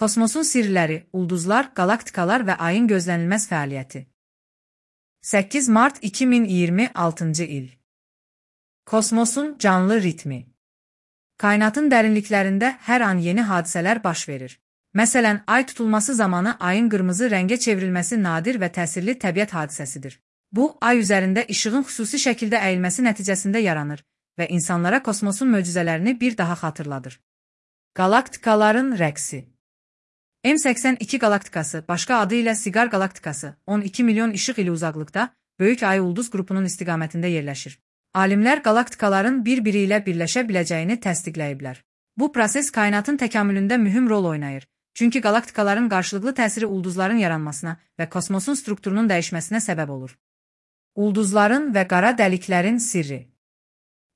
Kosmosun sirləri, ulduzlar, qalaktikalar və ayın gözlənilməz fəaliyyəti. 8 mart 2026-cı il. Kosmosun canlı ritmi. Kainatın dərinliklərində hər an yeni hadisələr baş verir. Məsələn, ay tutulması zamanı ayın qırmızı rəngə çevrilməsi nadir və təsirli təbiət hadisəsidir. Bu, ay üzərində işığın xüsusi şəkildə əyilməsi nəticəsində yaranır və insanlara kosmosun möcüzələrini bir daha xatırladır. Qalaktikaların rəqsi. M82 qalaktikası, başqa adı ilə Siqar qalaktikası, 12 milyon işıq ili uzaqlıqda, böyük ay ulduz qrupunun istiqamətində yerləşir. Alimlər qalaktikaların bir-biri ilə birləşə biləcəyini təsdiqləyiblər. Bu proses kainatın təkamülündə mühüm rol oynayır. Çünki qalaktikaların qarşılıqlı təsiri ulduzların yaranmasına və kosmosun strukturunun dəyişməsinə səbəb olur. Ulduzların və qara dəliklərin sirri.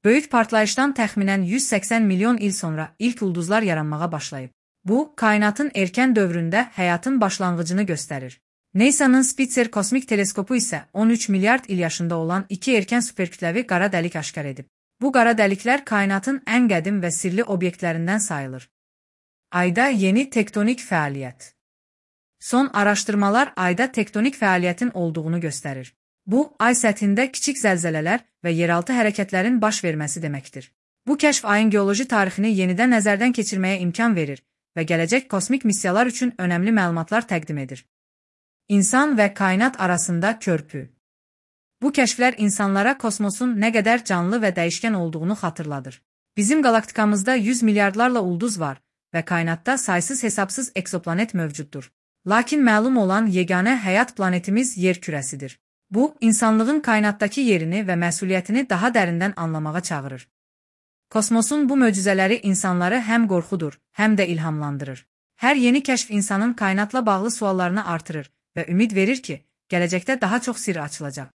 Böyük partlayışdan təxminən 180 milyon il sonra ilk ulduzlar yaranmağa başlayıb. Bu, kainatın erkən dövründə həyatın başlanğıcını göstərir. NASA'nın Spitzer kosmik teleskopu isə 13 milyard il yaşında olan iki erkən superkütləvi qara dəlik aşkar edib. Bu qara dəliklər kainatın ən qədim və sirli obyektlərindən sayılır. Ayda yeni tektonik fəaliyyət. Son araşdırmalar ayda tektonik fəaliyyətin olduğunu göstərir. Bu, ay səthində kiçik zəlzələlər və yeraltı hərəkətlərin baş verməsi deməkdir. Bu kəşf ayın geoloji tarixini yenidən nəzərdən keçirməyə imkan verir və gələcək kosmik missiyalar üçün önəmli məlumatlar təqdim edir. İnsan və kainat arasında körpü. Bu kəşflər insanlara kosmosun nə qədər canlı və dəyişkən olduğunu xatırladır. Bizim qalaktikamızda 100 milyardlarla ulduz var və kainatda saysız hesabsız eksoplanet mövcuddur. Lakin məlum olan yeganə həyat planetimiz yer kürəsidir. Bu, insanlığın kainatdakı yerini və məsuliyyətini daha dərindən anlamağa çağırır. Kosmosun bu möcüzələri insanları həm qorxudur, həm də ilhamlandırır. Hər yeni kəşf insanın kainatla bağlı suallarını artırır və ümid verir ki, gələcəkdə daha çox sirr açılacaq.